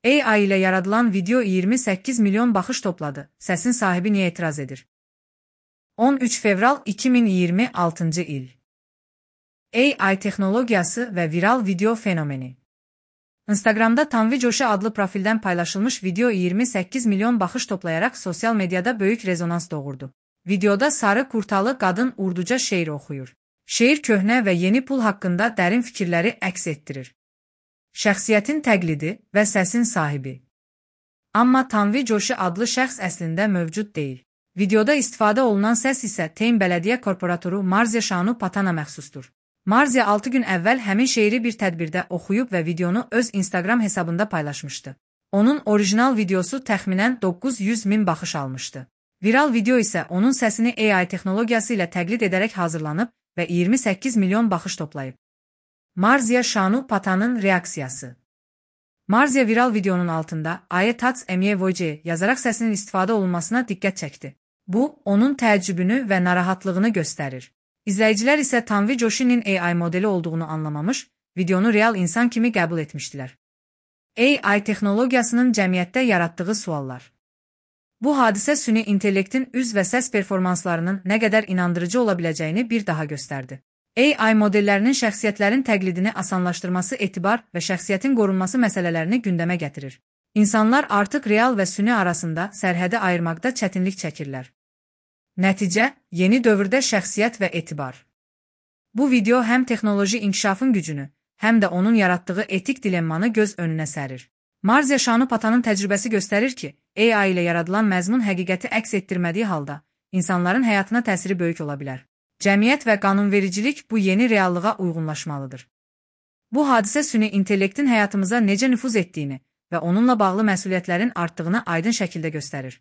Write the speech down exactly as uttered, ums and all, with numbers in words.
A I ile yaradılan video iyirmi səkkiz milyon baxış topladı. Səsin sahibi niyə etiraz edir? on üç fevral iki min iyirmi altıncı il. A I texnologiyası və viral video fenomeni. Instagramda Tanvi Joshi adlı profildən paylaşılmış video iyirmi səkkiz milyon baxış toplayaraq sosial mediada böyük rezonans doğurdu. Videoda sarı kurtalı qadın urduca şeir oxuyur. Şeir köhnə və yeni pul haqqında dərin fikirləri əks etdirir. Şəxsiyyətin təqlidi və səsin sahibi. Amma Tanvi Joshi adlı şəxs əslində mövcud deyil. Videoda istifadə olunan səs isə Teyn Bələdiyyə Korporatoru Marzia Şanu Patana məxsusdur. Marzia altı gün əvvəl həmin şeiri bir tədbirdə oxuyub və videonu öz Instagram hesabında paylaşmışdı. Onun orijinal videosu təxminən doqquz yüz min baxış almışdı. Viral video isə onun səsini A I texnologiyası ilə təqlid edərək hazırlanıb və iyirmi səkkiz milyon baxış toplayıb. Marzia Şanu Patanın reaksiyası. Marzia viral videonun altında "Aye tats emye voce" yazaraq səsinin istifadə olunmasına diqqət çəkdi. Bu, onun təəccübünü və narahatlığını göstərir. İzləyicilər isə Tanvi Joshi'nin A I modeli olduğunu anlamamış, videonu real insan kimi qəbul etmişdilər. A I texnologiyasının cəmiyyətdə yaratdığı suallar. Bu hadisə süni intellektin üz və səs performanslarının nə qədər inandırıcı ola biləcəyini bir daha göstərdi. A I modellərinin şəxsiyyətlərin təqlidini asanlaşdırması etibar və şəxsiyyətin qorunması məsələlərini gündəmə gətirir. İnsanlar artıq real və süni arasında sərhədi ayırmaqda çətinlik çəkirlər. Nəticə, yeni dövrdə şəxsiyyət və etibar. Bu video həm texnoloji inkişafın gücünü, həm də onun yaratdığı etik dilemmanı göz önünə sərir. Marzia Şanu Patanın təcrübəsi göstərir ki, A I ilə yaradılan məzmun həqiqəti əks etdirmədiyi halda, insanların həyatına təsiri böyük ola bilər. Cəmiyyət və qanunvericilik bu yeni reallığa uyğunlaşmalıdır. Bu hadisə süni intellektin həyatımıza necə nüfuz etdiyini və onunla bağlı məsuliyyətlərin artdığını aydın şəkildə göstərir.